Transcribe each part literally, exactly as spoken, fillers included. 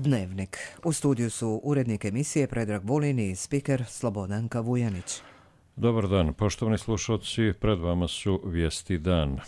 Dnevnik. U studiju su urednik emisije Predrag Vulin i spiker Slobodanka Vujanić. Dobar dan, poštovani slušalci, pred vama su vijesti dan.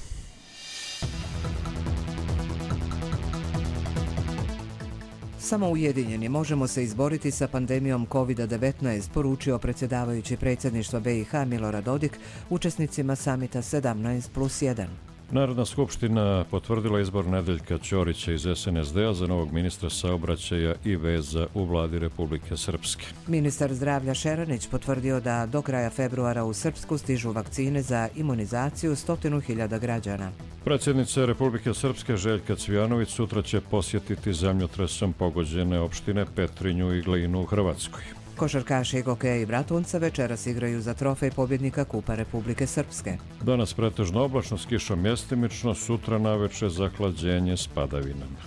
Samo ujedinjeni možemo se izboriti sa pandemijom kovid devetnaest, poručio predsjedavajući predsjedništva B i H Milorad Dodik učesnicima samita sedamnaest plus jedan. Narodna skupština potvrdila izbor Nedeljka Ćorića iz S N S D-a za novog ministra saobraćaja i veza u vladi Republike Srpske. Ministar zdravlja Šeranić potvrdio da do kraja februara u Srpsku stižu vakcine za imunizaciju stotinu hiljada građana. Predsjednica Republike Srpske Željka Cvijanović sutra će posjetiti zemljotresom pogođene opštine Petrinju i Glinu u Hrvatskoj. Košarkaši Gokeja i Bratunca večeras igraju za trofej pobjednika Kupa Republike Srpske. Danas pretežno oblačno s kišom mjestimično, sutra naveče zahlađenje s padavinama.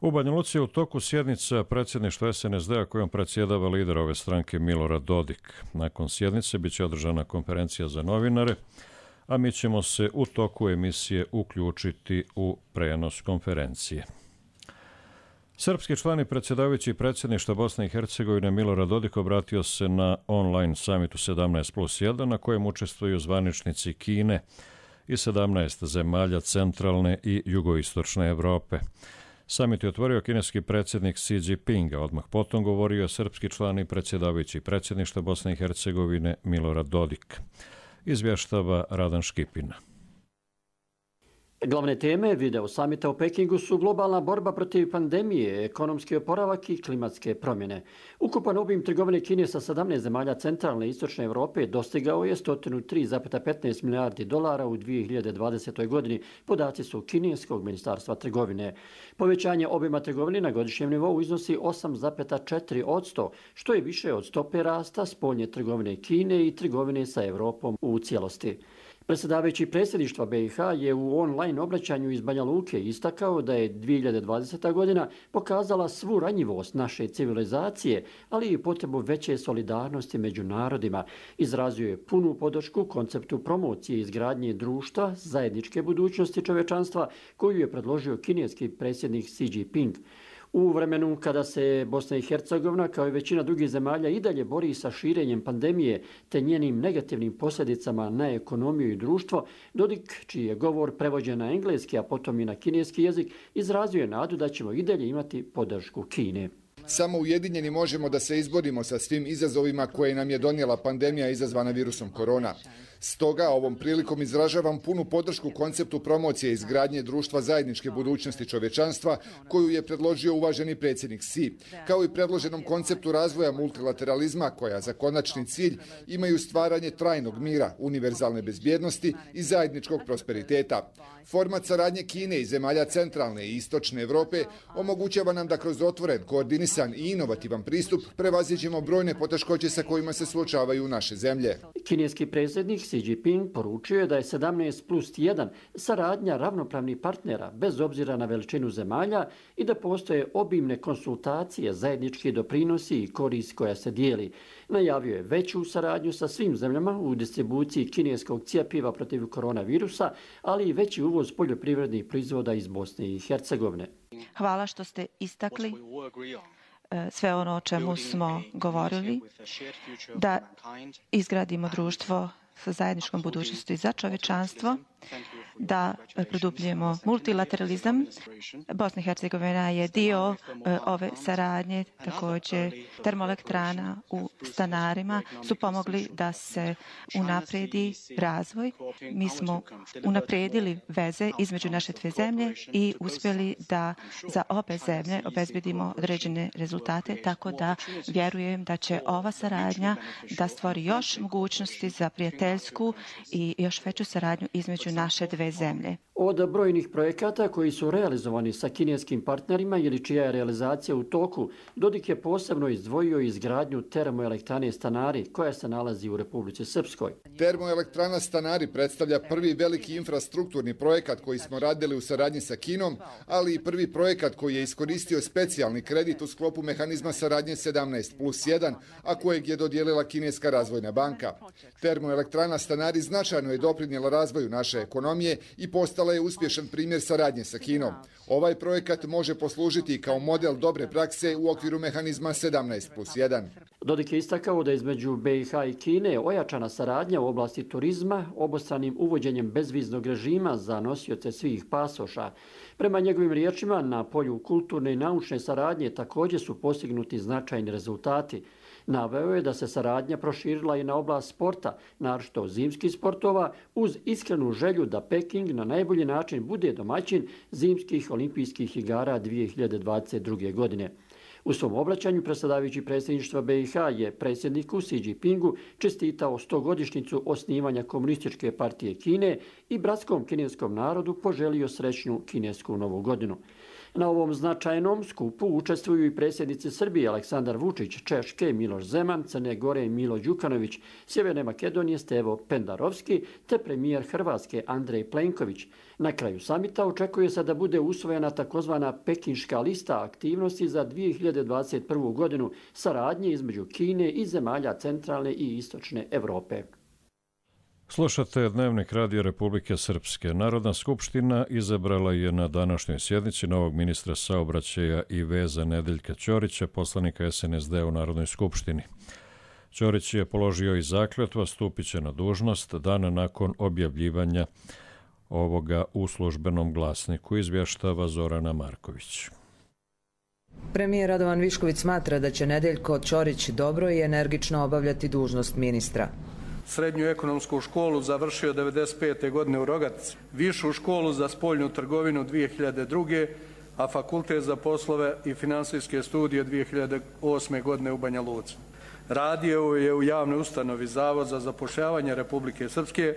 U Banja Luci je u toku sjednica predsjedništva S N S D-a kojom predsjedava lider ove stranke Milorad Dodik. Nakon sjednice bit će održana konferencija za novinare, a mi ćemo se u toku emisije uključiti u prenos konferencije. Srpski član i predsjedavajući predsjedništva Bosne i Hercegovine Milorad Dodik obratio se na online samitu sedamnaest plus jedan na kojem učestvuju zvaničnici Kine i sedamnaest zemalja centralne i jugoistočne Evrope. Samit je otvorio kineski predsjednik Xi Jinping, a odmah potom govorio je srpski član i predsjedavajući predsjedništva Bosne i Hercegovine Milorad Dodik. Izvještava Radan Škipina. Glavne teme video samita u Pekingu su globalna borba protiv pandemije, ekonomski oporavak i klimatske promjene. Ukupan obim trgovine Kine sa sedamnaest zemalja centralne i istočne Evrope dostigao je sto tri zarez petnaest milijardi dolara u dvije hiljade dvadesetoj. godini, podaci su kineskog ministarstva trgovine. Povećanje obima trgovine na godišnjem nivou iznosi osam zarez četiri posto, što je više od stope rasta spoljne trgovine Kine i trgovine sa Evropom u cijelosti. Predsjedavajući predsjedništva B i H je u online obraćanju iz Banja Luke istakao da je dvije hiljade dvadeseta. godina pokazala svu ranjivost naše civilizacije, ali i potrebu veće solidarnosti među narodima. Izrazio je punu podršku konceptu promocije izgradnje društva zajedničke budućnosti čovječanstva koju je predložio kineski predsjednik Xi Jinping. U vremenu kada se Bosna i Hercegovina kao i većina drugih zemalja i dalje bori sa širenjem pandemije te njenim negativnim posljedicama na ekonomiju i društvo, Dodik, čiji je govor prevođen na engleski, a potom i na kineski jezik, izrazio je nadu da ćemo i dalje imati podršku Kine. Samo ujedinjeni možemo da se izborimo sa svim izazovima koje nam je donijela pandemija izazvana virusom korona. Stoga ovom prilikom izražavam punu podršku konceptu promocije izgradnje društva zajedničke budućnosti čovječanstva koju je predložio uvaženi predsjednik Xi, kao i predloženom konceptu razvoja multilateralizma koja za konačni cilj imaju stvaranje trajnog mira, univerzalne bezbjednosti i zajedničkog prosperiteta. Format saradnje Kine i zemalja centralne i istočne Evrope omogućava nam da kroz otvoren, koordinisan i inovativan pristup prevaziđemo brojne poteškoće sa kojima se suočavaju naše zemlje. Kineski predsjednik Xi Jinping poručio je da je sedamnaest plus jedan saradnja ravnopravnih partnera bez obzira na veličinu zemalja i da postoje obimne konsultacije, zajednički doprinosi i korist koja se dijeli. Najavio je veću saradnju sa svim zemljama u distribuciji kineskog cjepiva protiv koronavirusa, ali i veći uvoz poljoprivrednih proizvoda iz Bosne i Hercegovine. Hvala što ste istakli sve ono o čemu smo govorili, da izgradimo društvo sa zajedničkom budućnosti za čovječanstvo, da produbljujemo multilateralizam. Bosna i Hercegovina je dio ove saradnje, također termoelektrana u Stanarima su pomogli da se unapredi razvoj. Mi smo unaprijedili veze između naše dvije zemlje i uspjeli da za obe zemlje obezbedimo određene rezultate, tako da vjerujem da će ova saradnja da stvori još mogućnosti za prijateljsku i još veću saradnju između naše dve zemlje. Od brojnih projekata koji su realizovani sa kineskim partnerima ili čija je realizacija u toku, Dodik je posebno izdvojio izgradnju termoelektrane Stanari koja se nalazi u Republici Srpskoj. Termoelektrana Stanari predstavlja prvi veliki infrastrukturni projekat koji smo radili u saradnji sa Kinom, ali i prvi projekat koji je iskoristio specijalni kredit u sklopu mehanizma saradnje sedamnaest plus jedan, a kojeg je dodijelila Kineska razvojna banka. Termoelektrana Stanari značajno je doprinijela razvoju naše ekonomije i postala je uspješan primjer saradnje sa Kinom. Ovaj projekat može poslužiti kao model dobre prakse u okviru mehanizma sedamnaest plus jedan. Dodik je istakao da između B i H i Kine ojačana saradnja u oblasti turizma obostranim uvođenjem bezviznog režima za nosioce svih pasoša. Prema njegovim riječima, na polju kulturne i naučne saradnje također su postignuti značajni rezultati. Naveo je da se saradnja proširila i na oblast sporta, naročito zimskih sportova, uz iskrenu želju da Peking na najbolji način bude domaćin zimskih olimpijskih igara dvije hiljade dvadeset druge. godine. U svom obraćanju predsjedavajući predsjedništva B i H je predsjedniku Xi Jinpingu čestitao stogodišnjicu osnivanja Komunističke partije Kine i bratskom kineskom narodu poželio srećnu kinesku novu godinu. Na ovom značajnom skupu učestvuju i predsjednici Srbije Aleksandar Vučić, Češke Miloš Zeman, Crne Gore Milo Đukanović, Sjeverne Makedonije Stevo Pendarovski te premijer Hrvatske Andrej Plenković. Na kraju samita očekuje se da bude usvojena takozvana pekinška lista aktivnosti za dvije hiljade dvadeset prvu. godinu saradnje između Kine i zemalja centralne i istočne Europe. Slušate Dnevnik Radija Republike Srpske. Narodna skupština izabrala je na današnjoj sjednici novog ministra saobraćaja i veza Nedeljka Ćorića, poslanika S N S D u Narodnoj skupštini. Ćorić je položio i zakletvu, stupit će na dužnost dan nakon objavljivanja ovoga u službenom glasniku, izvještava Zorana Marković. Premijer Radovan Višković smatra da će Nedeljko Ćorić dobro i energično obavljati dužnost ministra. Srednju ekonomsku školu završio devedeset pete. godine u Rogatici, višu školu za spoljnu trgovinu dvije hiljade druge. a fakultet za poslove i finansijske studije dvije hiljade osme. godine u Banja Luci. Radio je u javnoj ustanovi Zavod za zapošljavanje Republike Srpske,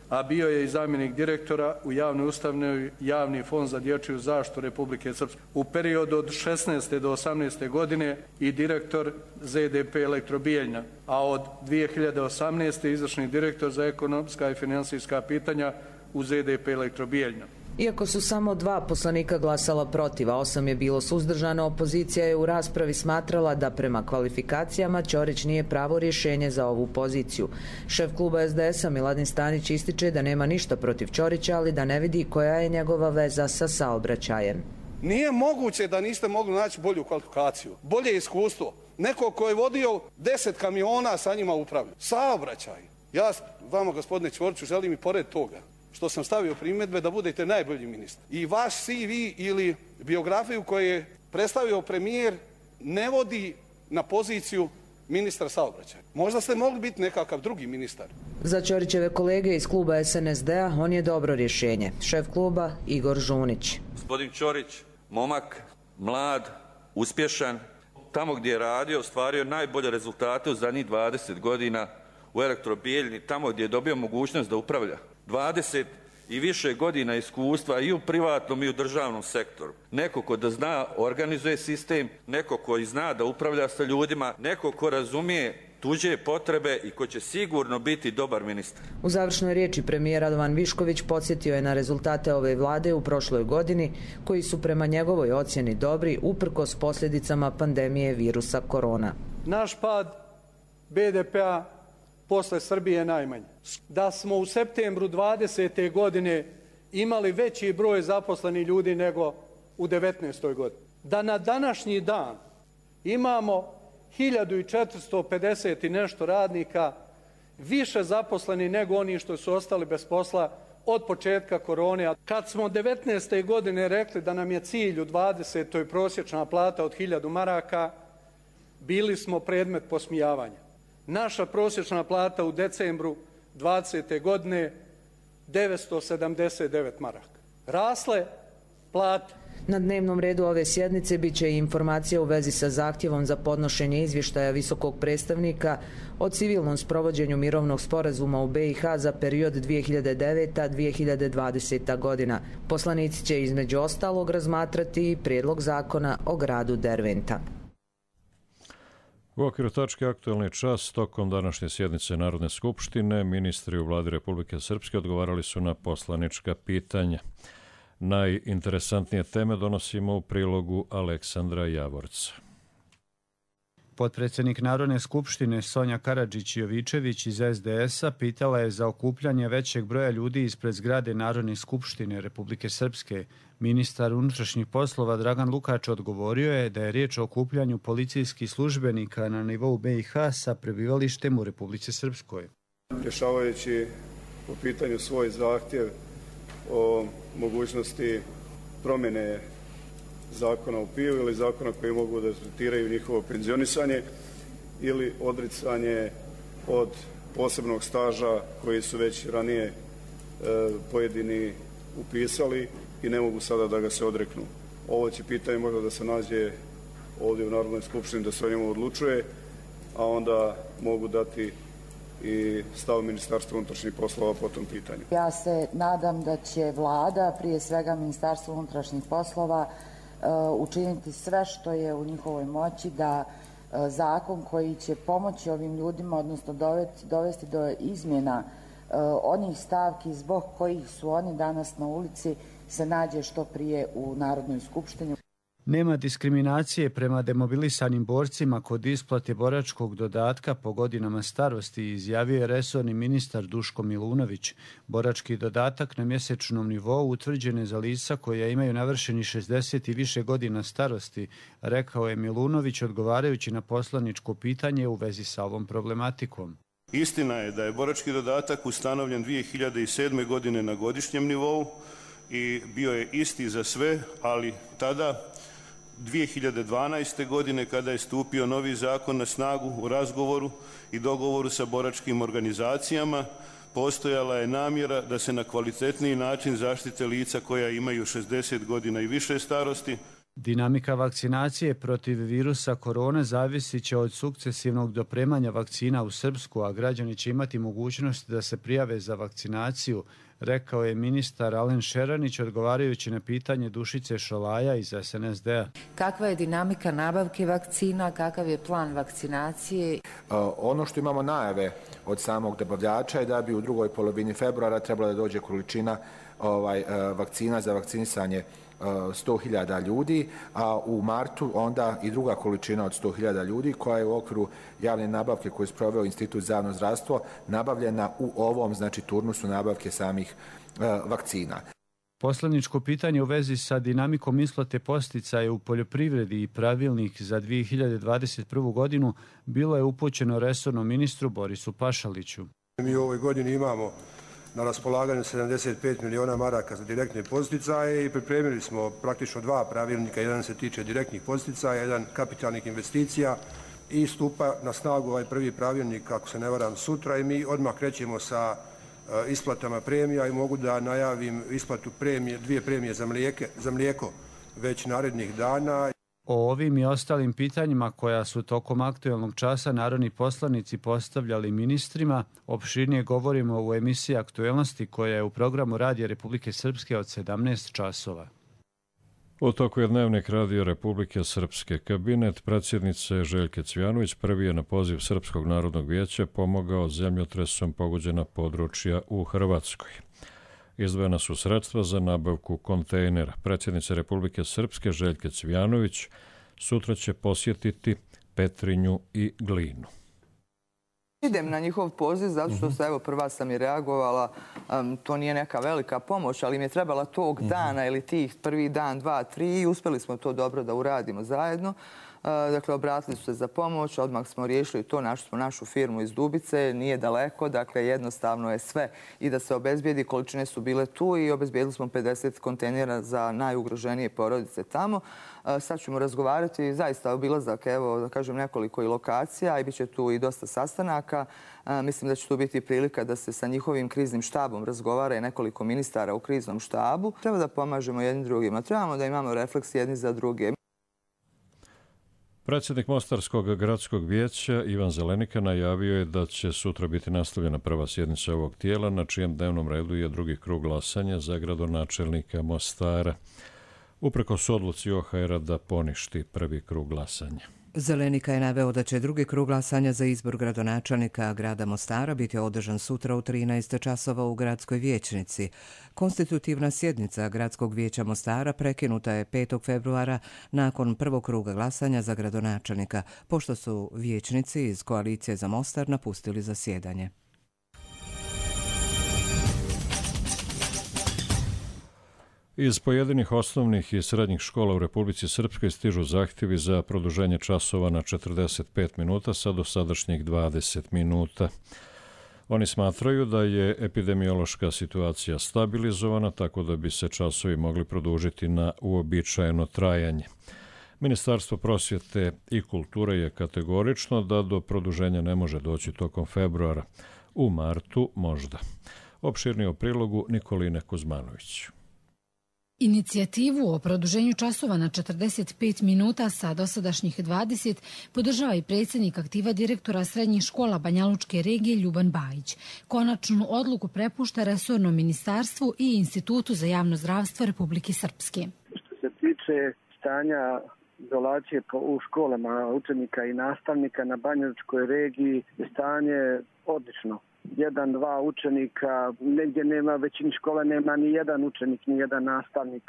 a bio je i zamjenik direktora u javnoj ustanovi Javni fond za dječju zaštitu Republike Srpske. U periodu od šesnaeste do osamnaeste. godine i direktor Z D P Elektrobijeljna, a od dvije hiljade osamnaeste. izvršni direktor za ekonomska i finansijska pitanja u Z D P Elektrobijeljna. Iako su samo dva poslanika glasala protiv, a osam je bilo suzdržano, opozicija je u raspravi smatrala da prema kvalifikacijama Ćorić nije pravo rješenje za ovu poziciju. Šef kluba S D S-a Miladin Stanić ističe da nema ništa protiv Ćorića, ali da ne vidi koja je njegova veza sa saobraćajem. Nije moguće da niste mogli naći bolju kvalifikaciju, bolje iskustvo. Neko ko je vodio deset kamiona, sa njima upravlja. Saobraćaj. Ja vama, gospodine Ćoriću, želim i pored toga što sam stavio primjedbe da budete najbolji ministar. I vaš C V ili biografiju koju je predstavio premijer ne vodi na poziciju ministra saobraćaja. Možda ste mogli biti nekakav drugi ministar. Za Ćorićeve kolege iz kluba S N S D-a on je dobro rješenje. Šef kluba Igor Žunić. Gospodin Ćorić, momak, mlad, uspješan, tamo gdje je radio, ostvario najbolje rezultate u zadnjih dvadeset godina u Elektrobijeljni, tamo gdje je dobio mogućnost da upravlja. dvadeset i više godina iskustva i u privatnom i u državnom sektoru. Neko ko da zna, organizuje sistem, neko koji zna da upravlja sa ljudima, neko ko razumije tuđe potrebe i ko će sigurno biti dobar ministar. U završnoj riječi premijer Radovan Višković podsjetio je na rezultate ove vlade u prošloj godini, koji su prema njegovoj ocjeni dobri uprkos posljedicama pandemije virusa korona. Naš pad B D P-a posle Srbije najmanje. Da smo u septembru dvadesete. godine imali veći broj zaposlenih ljudi nego u devetnaestoj. godini. Da na današnji dan imamo hiljadu četiristo pedeset i nešto radnika više zaposlenih nego oni što su ostali bez posla od početka korone. Kad smo devetnaeste. godine rekli da nam je cilj u dvadesetoj prosječna plata od hiljadu maraka, bili smo predmet posmijavanja. Naša prosječna plata u decembru dvadesete. godine devetsto sedamdeset devet maraka. Rasle plate. Na dnevnom redu ove sjednice bit će i informacija u vezi sa zahtjevom za podnošenje izvještaja visokog predstavnika o civilnom sprovođenju mirovnog sporazuma u B i H za period dvije hiljade deveta do dvije hiljade dvadesete. godina. Poslanici će između ostalog razmatrati i prijedlog zakona o gradu Derventa. U okviru tačke Aktualni čas, tokom današnje sjednice Narodne skupštine, ministri u vladi Republike Srpske odgovarali su na poslanička pitanja. Najinteresantnije teme donosimo u prilogu Aleksandra Javorca. Potpredsjednik Narodne skupštine Sonja Karadžić-Jovičević iz es de es-a pitala je za okupljanje većeg broja ljudi ispred zgrade Narodne skupštine Republike Srpske. Ministar unutrašnjih poslova Dragan Lukač odgovorio je da je riječ o okupljanju policijskih službenika na nivou be i ha sa prebivalištem u Republici Srpskoj. Rješavajući po pitanju svoj zahtjev o mogućnosti promjene zakona o piju ili zakona koji mogu da tretiraju njihovo penzionisanje ili odricanje od posebnog staža koji su već ranije e, pojedini upisali i ne mogu sada da ga se odreknu. Ovo će pitanje možda da se nađe ovdje u Narodnoj skupštini da se o njemu odlučuje, a onda mogu dati i stav Ministarstva unutrašnjih poslova po tom pitanju. Ja se nadam da će vlada, prije svega Ministarstvo unutrašnjih poslova, učiniti sve što je u njihovoj moći da zakon koji će pomoći ovim ljudima, odnosno dovesti do izmjena onih stavki zbog kojih su oni danas na ulici, se nađe što prije u Narodnoj skupštini. Nema diskriminacije prema demobilisanim borcima kod isplate boračkog dodatka po godinama starosti, izjavio je resorni ministar Duško Milunović. Borački dodatak na mjesečnom nivou utvrđen je za lica koja imaju navršeni šezdeset i više godina starosti, rekao je Milunović odgovarajući na poslaničko pitanje u vezi sa ovom problematikom. Istina je da je borački dodatak ustanovljen dvije hiljade sedme. godine na godišnjem nivou i bio je isti za sve, ali tada dvije hiljade dvanaeste. godine kada je stupio novi zakon na snagu, u razgovoru i dogovoru sa boračkim organizacijama postojala je namjera da se na kvalitetniji način zaštite lica koja imaju šezdeset godina i više starosti. Dinamika vakcinacije protiv virusa korone zavisit će od sukcesivnog dopremanja vakcina u Srpsku, a građani će imati mogućnost da se prijave za vakcinaciju, rekao je ministar Alen Šeranić odgovarajući na pitanje Dušice Šolaja iz es en es de-a. Kakva je dinamika nabavke vakcina, kakav je plan vakcinacije? Ono što imamo najave od samog dobavljača je da bi u drugoj polovini februara trebala da dođe količina ovaj, vakcina za vakcinisanje sto hiljada ljudi, a u martu onda i druga količina od sto hiljada ljudi koja je u okviru javne nabavke koju je sproveo Institut za javno zdravstvo nabavljena u ovom, znači, turnusu nabavke samih uh, vakcina. Poslaničko pitanje u vezi sa dinamikom isplate podsticaja u poljoprivredi i pravilnik za dvije hiljade dvadeset prvu. godinu bilo je upućeno resornom ministru Borisu Pašaliću. Mi u ovoj godini imamo na raspolaganju sedamdeset pet miliona maraka za direktne podsticaje i pripremili smo praktično dva pravilnika, jedan se tiče direktnih podsticaja, jedan kapitalnih investicija i stupa na snagu ovaj prvi pravilnik, ako se ne varam, sutra i mi odmah krećemo sa uh, isplatama premija i mogu da najavim isplatu premije, dvije premije za, mlijeke, za mlijeko već narednih dana. O ovim i ostalim pitanjima koja su tokom aktuelnog časa narodni poslanici postavljali ministrima, opširnije govorimo u emisiji Aktuelnosti koja je u programu Radija Republike Srpske od sedamnaest časova. U toku je dnevnik Radio Republike Srpske. Kabinet predsjednice Željke Cvijanović prvi je na poziv Srpskog narodnog vijeća pomogao zemljotresom pogođena područja u Hrvatskoj. Izdvojena su sredstva za nabavku kontejnera. Predsjednica Republike Srpske Željke Cvijanović sutra će posjetiti Petrinju i Glinu. Idem na njihov poziv zato što se, evo, prva sam i reagovala, um, to nije neka velika pomoć, ali mi je trebala tog dana ili tih prvi dan, dva, tri i uspjeli smo to dobro da uradimo zajedno. Dakle, obratili su se za pomoć, odmah smo riješili to, našli smo našu firmu iz Dubice, nije daleko, dakle jednostavno je sve i da se obezbijedi, količine su bile tu i obezbijedili smo pedeset kontejnera za najugroženije porodice tamo. Sad ćemo razgovarati, zaista obilazak, evo, da kažem, nekoliko i lokacija i bit će tu i dosta sastanaka. Mislim da će tu biti prilika da se sa njihovim kriznim štabom razgovara i nekoliko ministara u kriznom štabu. Treba da pomažemo jednim drugima, trebamo da imamo refleks jedni za druge. Predsjednik Mostarskog gradskog vijeća Ivan Zelenika najavio je da će sutra biti nastavljena prva sjednica ovog tijela, na čijem dnevnom redu je drugi krug glasanja za gradonačelnika Mostara, uprkos odluci o ha era da poništi prvi krug glasanja. Zelenika je naveo da će drugi krug glasanja za izbor gradonačelnika grada Mostara biti održan sutra u trinaest časova u gradskoj vijećnici. Konstitutivna sjednica Gradskog vijeća Mostara prekinuta je petog februara nakon prvog kruga glasanja za gradonačelnika, pošto su vijećnici iz Koalicije za Mostar napustili zasjedanje. Iz pojedinih osnovnih i srednjih škola u Republici Srpskoj stižu zahtjevi za produženje časova na četrdeset pet minuta sa dosadašnjih dvadeset minuta. Oni smatraju da je epidemiološka situacija stabilizovana, tako da bi se časovi mogli produžiti na uobičajeno trajanje. Ministarstvo prosvjete i kulture je kategorično da do produženja ne može doći tokom februara. U martu možda. Opširnije o prilogu Nikoline Kuzmanović. Inicijativu o produženju časova na četrdeset pet minuta sa dosadašnjih dvadeset podržava i predsjednik aktiva direktora srednjih škola Banjalučke regije Ljuban Bajić. Konačnu odluku prepušta resornom ministarstvu i Institutu za javno zdravstvo Republike Srpske. Što se tiče stanja izolacije u školama učenika i nastavnika na Banjalučkoj regiji, stanje odlično. Jedan, dva učenika, negdje nema, većini škola nema ni jedan učenik, ni jedan nastavnik.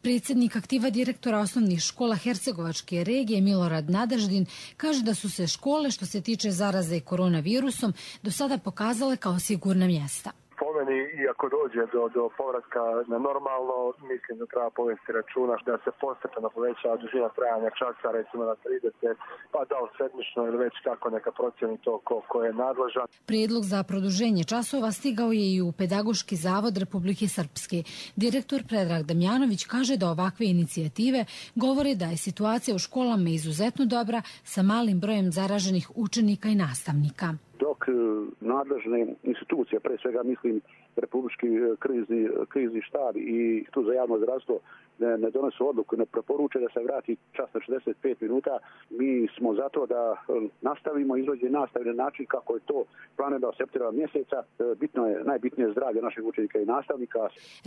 Predsjednik aktiva direktora osnovnih škola Hercegovačke regije Milorad Nadeždin kaže da su se škole što se tiče zaraze koronavirusom do sada pokazale kao sigurna mjesta. Po meni, iako dođe do, do povratka na normalno, mislim da treba povesti računa da se postepeno poveća dužina trajanja časa, recimo na trideset, pa da li sedmično ili već kako neka procjeni to ko, ko je nadležan. Prijedlog za produženje časova stigao je i u Pedagoški zavod Republike Srpske. Direktor Predrag Damjanović kaže da ovakve inicijative govore da je situacija u školama izuzetno dobra sa malim brojem zaraženih učenika i nastavnika. Dok nadležne institucije, pre svega mislim Republički krizni, krizni štab i tu za javno zdravstvo ne, ne donesu odluku, ne preporuče da se vrati čas na šezdeset pet minuta, mi smo zato da nastavimo izvođenje nastave na način kako je to planirano od septembra mjeseca. Bitno je, najbitnije je zdravlje naših učenika i nastavnika.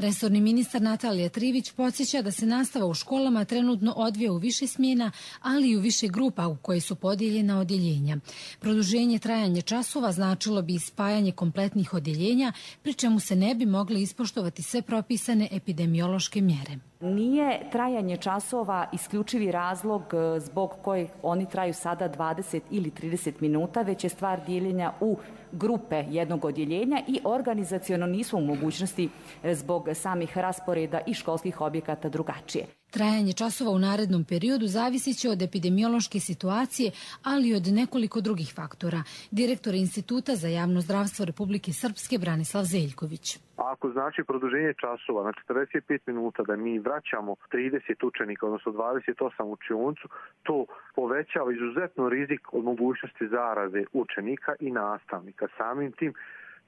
Resorni ministar Natalija Trivić podsjeća da se nastava u školama trenutno odvija u više smjena, ali i u više grupa u koje su podijeljena odjeljenja. Produženje trajanja časova značilo bi spajanje kompletnih odjeljenja, pri čemu se ne bi mogli ispoštovati sve propisane epidemiološke mjere. Nije trajanje časova isključivi razlog zbog kojeg oni traju sada dvadeset ili trideset minuta, već je stvar dijeljenja u grupe jednog odjeljenja i organizaciono nisu u mogućnosti zbog samih rasporeda i školskih objekata drugačije. Trajanje časova u narednom periodu zavisit će od epidemiološke situacije, ali i od nekoliko drugih faktora. Direktor Instituta za javno zdravstvo Republike Srpske Branislav Zeljković. Ako znači produženje časova na četrdeset pet minuta da mi vraćamo trideset učenika, odnosno dvadeset osam u učionicu, to povećava izuzetno rizik od mogućnosti zaraze učenika i nastavnika. Samim tim,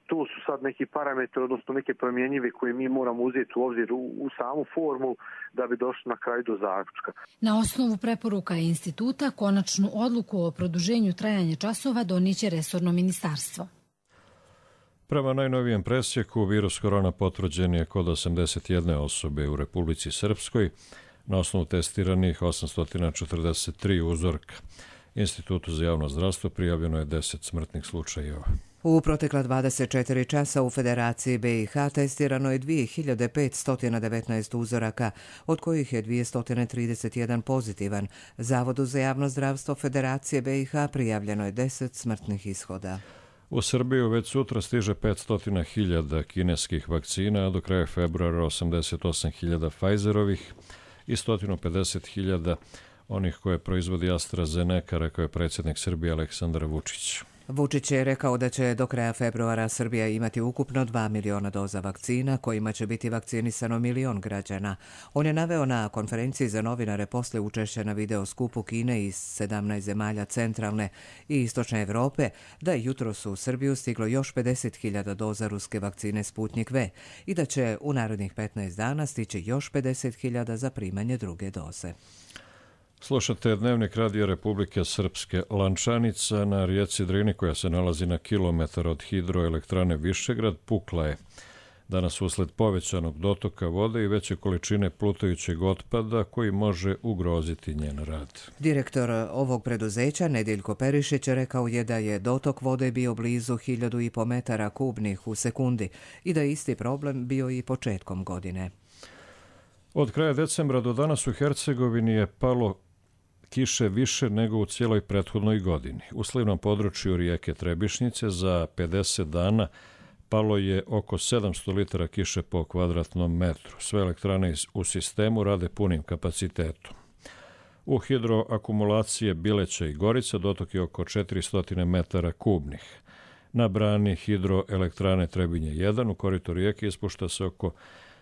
tu su sad neki parametri, odnosno neke promjenjive koje mi moramo uzeti u obzir u, u samu formu da bi došli na kraj do zaključka. Na osnovu preporuka instituta konačnu odluku o produženju trajanja časova donijeće resorno ministarstvo. Prema najnovijem presjeku, virus korona potvrđen je kod osamdeset jedne osobe u Republici Srpskoj, na osnovu testiranih osamsto četrdeset tri uzorka. Institutu za javno zdravstvo prijavljeno je deset smrtnih slučajeva. U protekla dvadeset četiri časa u Federaciji B i H testirano je dvije hiljade petsto devetnaest uzoraka, od kojih je dvjesto trideset jedan pozitivan. Zavodu za javno zdravstvo Federacije B i H prijavljeno je deset smrtnih ishoda. U Srbiju već sutra stiže petsto hiljada kineskih vakcina, a do kraja februara osamdeset osam hiljada Pfizerovih i sto pedeset hiljada onih koje proizvodi AstraZeneca, rekao je predsjednik Srbije Aleksandar Vučić. Vučić je rekao da će do kraja februara Srbija imati ukupno dva miliona doza vakcina, kojima će biti vakcinisano milion građana. On je naveo na konferenciji za novinare posle učešća na video skupu Kine iz sedamnaest zemalja centralne i istočne Evrope da je jutros u Srbiju stiglo još pedeset hiljada doza ruske vakcine Sputnik V i da će u narednih petnaest dana stići još pedeset hiljada za primanje druge doze. Slušate Dnevnik Radija Republike Srpske. Lančanica na rijeci Drini, koja se nalazi na kilometar od hidroelektrane Višegrad, pukla je. Danas usled povećanog dotoka vode i veće količine plutajućeg otpada koji može ugroziti njen rad. Direktor ovog preduzeća Nedeljko Perišić rekao je da je dotok vode bio blizu hiljadu i po metara kubnih u sekundi i da je isti problem bio i početkom godine. Od kraja decembra do danas u Hercegovini je palo kiše više nego u cijeloj prethodnoj godini. U slivnom području rijeke Trebišnjice za pedeset dana palo je oko sedamsto litara kiše po kvadratnom metru. Sve elektrane u sistemu rade punim kapacitetom. U hidroakumulacije Bileća i Gorica dotok je oko četiristo metara kubnih. Na brani hidroelektrane Trebinje jedan u koritu rijeke ispušta se oko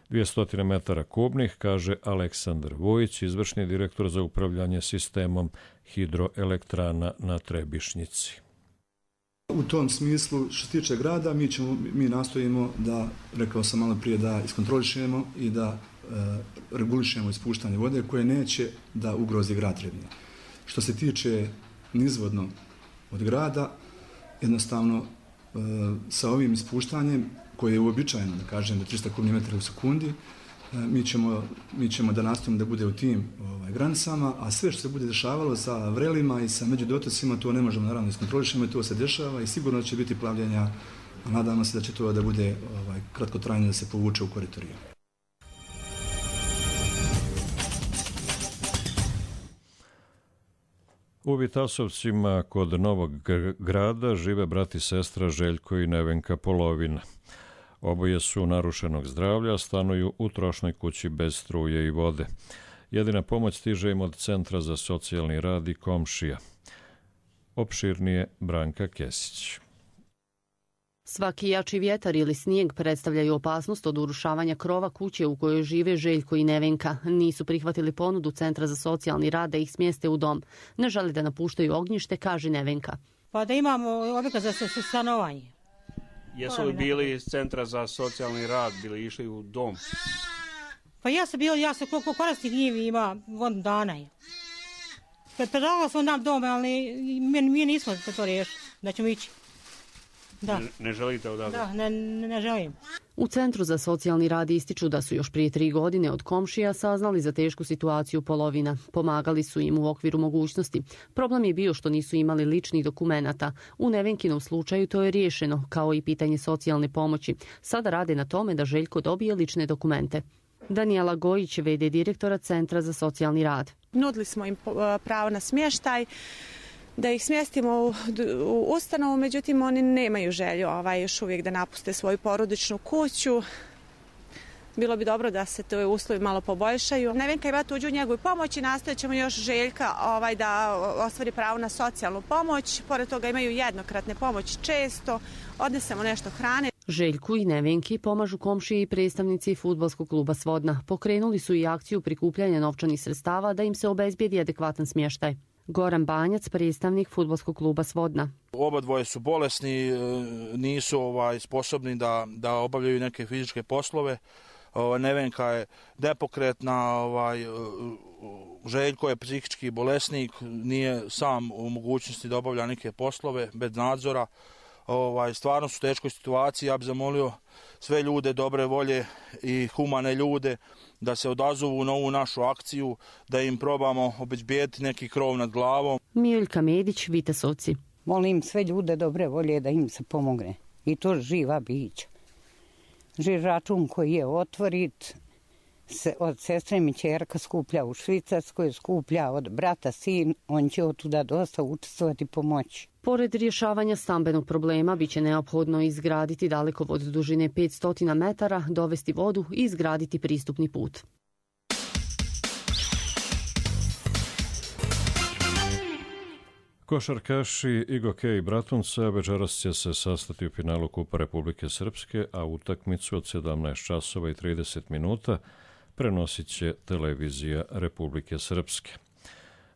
dvjesto metara kubnih, kaže Aleksandar Vujić, izvršni direktor za upravljanje sistemom hidroelektrana na Trebišnjici. U tom smislu, što se tiče grada, mi, ćemo, mi nastojimo da, rekao sam malo prije, da iskontrolišemo i da e, regulišemo ispuštanje vode koje neće da ugrozi grad Trebinje. Što se tiče nizvodno od grada, jednostavno e, sa ovim ispuštanjem koje je uobičajeno, da kažem, do tristo kubnih metara u sekundi, mi ćemo, mi ćemo da nastavimo da bude u tim ovaj, granicama, a sve što se bude dešavalo sa vrelima i sa međudotocima, to ne možemo naravno iskontrolišemo i to se dešava i sigurno će biti plavljenja, a nadamo se da će to da bude ovaj, kratkotrajno da se povuče u korito rijeke. U Vitasovcima kod Novog Grada žive brat i sestra Željko i Nevenka Polovina. Oboje su narušenog zdravlja, stanuju u trošnoj kući bez struje i vode. Jedina pomoć stiže im od Centra za socijalni rad i komšija. Opširnije Branka Kesić. Svaki jači vjetar ili snijeg predstavljaju opasnost od urušavanja krova kuće u kojoj žive Željko i Nevenka. Nisu prihvatili ponudu Centra za socijalni rad da ih smjeste u dom. Ne žele da napuštaju ognjište, kaže Nevenka. Pa da imamo objekat za stanovanje. Jesu li bili iz Centra za socijalni rad, bili išli u dom? Pa ja sam bio, ja sam koliko korisnih njivi ima godinu dana. Predlagala sam nam dom, ali mi, mi nismo to riješili, da ćemo ići. Da. Ne, ne želite odavde? Da, ne, ne želim. U Centru za socijalni rad ističu da su još prije tri godine od komšija saznali za tešku situaciju Polovina. Pomagali su im u okviru mogućnosti. Problem je bio što nisu imali ličnih dokumenata. U Nevenkinom slučaju to je riješeno, kao i pitanje socijalne pomoći. Sada rade na tome da Željko dobije lične dokumente. Danijela Gojić, ve de direktora Centra za socijalni rad. Nudili smo im pravo na smještaj, da ih smjestimo u, u ustanovu, međutim oni nemaju želju ovaj, još uvijek da napuste svoju porodičnu kuću. Bilo bi dobro da se to uslovi malo poboljšaju. Nevenka ima tuđu njegu i pomoć i nastojat ćemo još Željka ovaj, da ostvari pravo na socijalnu pomoć. Pored toga imaju jednokratne pomoći često, odnesemo nešto hrane. Željku i Nevenki pomažu komšije i predstavnici fudbalskog kluba Svodna. Pokrenuli su i akciju prikupljanja novčanih sredstava da im se obezbijedi adekvatan smještaj. Goran Banjac, predstavnik fudbalskog kluba Svodna. Oba dvoje su bolesni, nisu ovaj, sposobni da, da obavljaju neke fizičke poslove. Ovaj, Nevenka je nepokretna, ovaj, Željko je psihički bolesnik, nije sam u mogućnosti da obavlja neke poslove bez nadzora. Ovaj, stvarno su u teškoj situaciji. Ja bih zamolio sve ljude dobre volje i humane ljude da se odazovu na ovu našu akciju, da im probamo obezbijeti neki krov nad glavom. Mijeljka Medić, Vitasovci. Molim sve ljude dobre volje da im se pomogne. I to živa bića. Živ račun koji je otvorit, se od sestre mi ćerka skuplja u Švicarskoj, skuplja od brata sin, on će od tuda dosta učestvovati i pomoći. Pored rješavanja stambenog problema, biće neophodno izgraditi dalekovod dužine petsto metara, dovesti vodu i izgraditi pristupni put. Košarkaši Igoke i Bratunca večeras će se sastati u finalu Kupa Republike Srpske, a utakmicu od sedamnaest časova i trideset minuta prenosit će televizija Republike Srpske.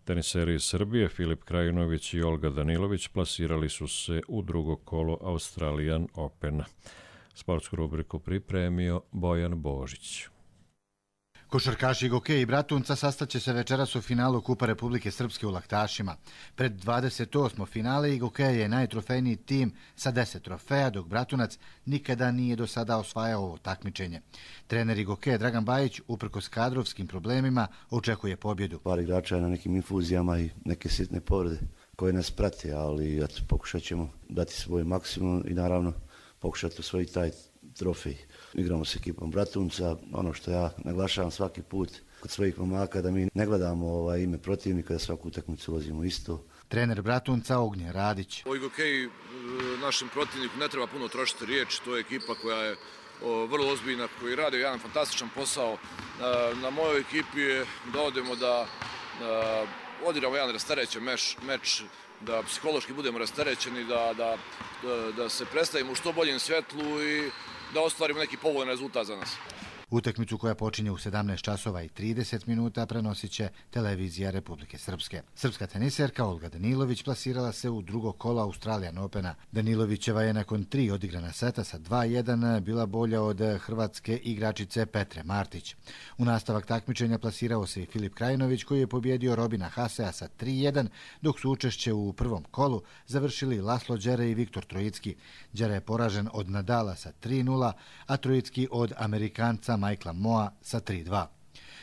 Teniseri iz Srbije Filip Krajinović i Olga Danilović plasirali su se u drugo kolo Australian Opena. Sportsku rubriku pripremio Bojan Božić. Košarkaši Goke i Bratunca sastaće se večeras u finalu Kupa Republike Srpske u Laktašima. Pred dvadeset osmo finale i Goke je najtrofejniji tim sa deset trofeja, dok Bratunac nikada nije do sada osvajao ovo takmičenje. Trener Goke Dragan Bajić, uprkos kadrovskim problemima, očekuje pobjedu. Par igrača je na nekim infuzijama i neke sitne povrede koje nas prate, ali eto, pokušat ćemo dati svoj maksimum i naravno pokušati osvojiti taj trofej. Igramo s ekipom Bratunca, ono što ja naglašavam svaki put kod svojih momaka, da mi ne gledamo ovaj ime protivnika, da svaku utakmicu ulazimo isto. Trener Bratunca Ognjen Radić. O Gokeji našem protivniku ne treba puno trošiti riječ, to je ekipa koja je o, vrlo ozbiljna, koji radi jedan fantastičan posao. Na, na mojoj ekipi je da odemo da, da odigramo jedan rasterećen meč, meč, da psihološki budemo rasterećeni, da, da, da, da se predstavimo u što boljem svjetlu i da ostvarimo neki povoljan rezultat za nas. Utakmicu koja počinje u sedamnaest časova i trideset minuta prenosit će televizija Republike Srpske. Srpska teniserka Olga Danilović plasirala se u drugo kolo Australian Opena. Danilovićeva je nakon tri odigrana seta sa dva jedan bila bolja od hrvatske igračice Petre Martić. U nastavak takmičenja plasirao se i Filip Krajinović koji je pobjedio Robina Hasea sa tri jedan, dok su učešće u prvom kolu završili Laslo Đere i Viktor Trojicki. Đere je poražen od Nadala sa tri nula, a Trojicki od Amerikanca Michaela Moa sa tri dva.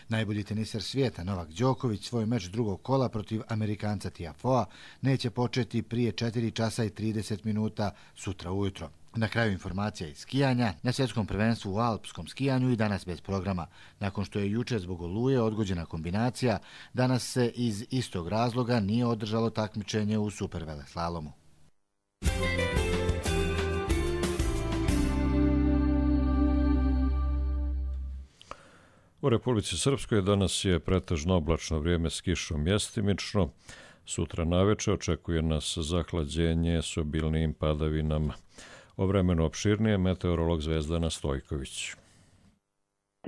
Najbolji teniser svijeta Novak Đoković svoj meč drugog kola protiv Amerikanca Tiafoea neće početi prije četiri časa i trideset minuta sutra ujutro. Na kraju informacija iz skijanja, na svjetskom prvenstvu u alpskom skijanju i danas bez programa. Nakon što je juče zbog oluje odgođena kombinacija, danas se iz istog razloga nije održalo takmičenje u superveleslalomu. U Republici Srpskoj danas je pretežno oblačno vrijeme s kišom mjestimično. Sutra naveče očekuje nas zahlađenje s obilnijim padavinama. O vremenu opširnije meteorolog Zvezdana Stojković.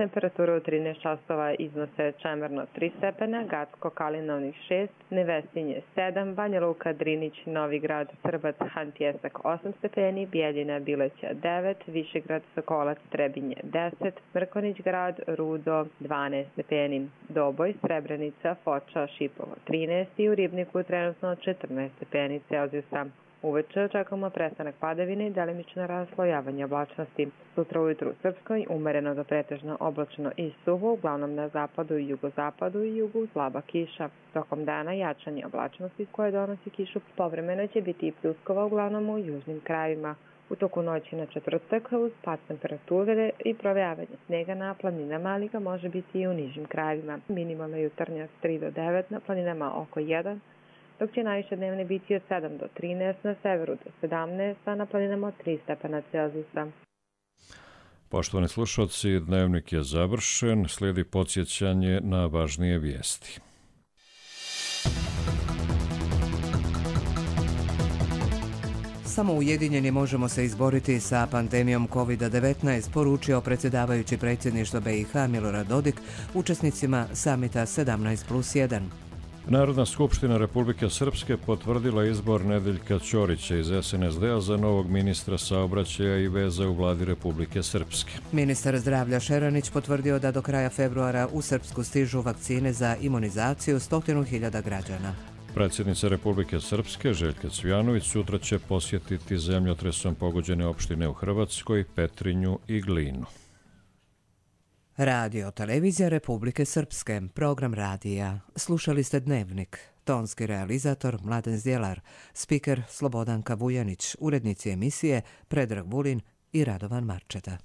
Temperatura u trinaest časova iznose Čemerno tri stepena, Gacko Kalinovnik šest, Nevesinje sedam, Banja Luka, Drinić, Novigrad, Prbac, Hantjesak osam stepeni, Bijeljina, Bileća devet, Višegrad, Sokolac, Trebinje deset, Mrkonić grad, Rudo dvanaest stepeni, Doboj, Srebrenica, Foča, Šipovo trinaest i u Ribniku trenutno četrnaest stepeni Celzijusa. Uveče očekujemo prestanak padavine i delimično raslojavanje oblačnosti. Sutra ujutru u Srpskoj umereno do pretežno oblačno i suvo, uglavnom na zapadu i jugozapadu i jugu slaba kiša. Tokom dana jačanje oblačnosti koje donosi kišu povremeno će biti i pljuskova uglavnom u južnim krajevima. U toku noći na četvrtak uz pad temperature i provejavanje snega na planinama, ali ga može biti i u nižim krajevima. Minimalna jutarnja tri do devet, na planinama oko jedan, dok će najviše dnevne biti od sedam do trinaest, na severu do sedamnaest, a na planinama od tri stepena Celzijusa. Poštovani slušalci, dnevnik je završen, slijedi podsjećanje na važnije vijesti. Samo ujedinjeni možemo se izboriti sa pandemijom kovid devetnaest, poručio predsjedavajući predsjedništva B i H Milorad Dodik učesnicima samita sedamnaest plus jedan. Narodna skupština Republike Srpske potvrdila izbor Nedeljka Ćorića iz S N S D-a za novog ministra saobraćaja i veza u vladi Republike Srpske. Ministar zdravlja Šeranić potvrdio da do kraja februara u Srpsku stižu vakcine za imunizaciju stotinu hiljada građana. Predsjednica Republike Srpske Željka Cvijanović sutra će posjetiti zemljotresom pogođene opštine u Hrvatskoj, Petrinju i Glinu. Radio Televizija Republike Srpske, program radija. Slušali ste Dnevnik. Tonski realizator Mladen Zdjelar, spiker Slobodanka Vujanić, urednici emisije Predrag Vulin i Radovan Marčeta.